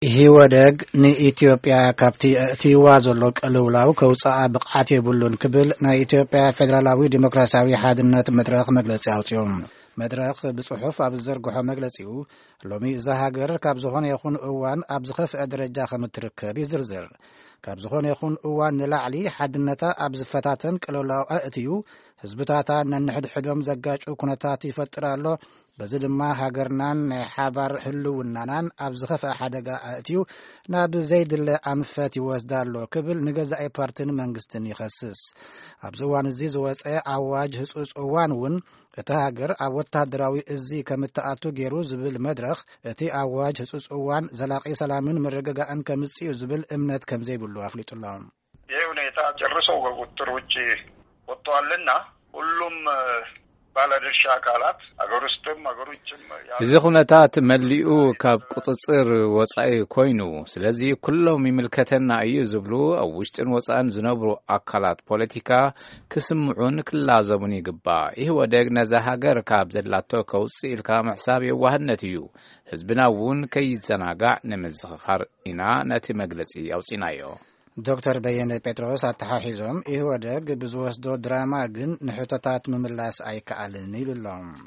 ኢህወደግ ንኢትዮጵያ ካብቲ ኣእትይዋ ዘሎ ቅልውላው ከውፅኣ ብቕዓት የብሉን ክብል ናይ ኢትዮጵያ ፌደራላዊ ዲሞክራሲያዊ ሓድነት መድረኽ መግለጺ ኣውፅኡ። መድረኽ ብጽሑፍ ኣብ ዝዘርግሖ መግለጺኡ፣ ሎሚ እዛ ሃገር ካብ ዝኾነ ይኹን እዋን ኣብ ዝኸፍአ ደረጃ ከም እትርከብ ይዝርዝር። ካብ ዝኾነ ይኹን እዋን ንላዕሊ ሓድነታ ኣብ ዝፈታተን ቅልውላው ኣእትዩ፣ ህዝብታታ ነንሕድሕዶም ዘጋጩ ኩነታት ይፈጥር ኣሎ። በዚ ድማ ሃገርናን ናይ ሓባር ህልውናናን ኣብ ዝኸፍአ ሓደጋ ኣእትዩ፣ ናብ ዘይድለ ኣንፈት ይወስዳ ኣሎ ክብል ንገዛኢ ፓርትን መንግስትን ይኸስስ። ኣብዚ እዋን እዚ ዝወጸ ኣዋጅ ህጹጽ እዋን እውን እታ ሃገር ኣብ ወታደራዊ እዚ ከም እትኣቱ ገይሩ ዝብል መድረኽ፣ እቲ ኣዋጅ ህጹጽ እዋን ዘላቒ ሰላምን ምርግጋእን ከምጽእ እዩ ዝብል እምነት ከም ዘይብሉ ኣፍሊጡ ኣሎ። ይህ ሁኔታ ጨርሶ ከቁጥጥር ውጭ ወጥቷልና ሁሉም ባለድርሻ አካላት አገር ውስጥም አገር ውጭም ያሉ እዚ ኩነታት መሊኡ ካብ ቁጽጽር ወጻኢ ኮይኑ፣ ስለዚ ኩሎም ይምልከተና እዩ ዝብሉ ኣብ ውሽጥን ወጻእን ዝነብሩ ኣካላት ፖለቲካ ክስምዑን ክላዘቡን ይግባእ። ኢህወደግ ነዛ ሃገር ካብ ዘላቶ ከውጽእ ኢልካ ምሕሳብ የዋህነት እዩ። ህዝብና እውን ከይዘናጋዕ ንምዝኽኻር ኢና ነቲ መግለጺ ኣውጺናዮ። ዶክተር በየነ ጴጥሮስ ኣተሓሒዞም፣ ኢህወደግ ብዝወስዶ ድራማ ግን ንሕቶታት ምምላስ ኣይከኣልን ኢሉ ኣሎ።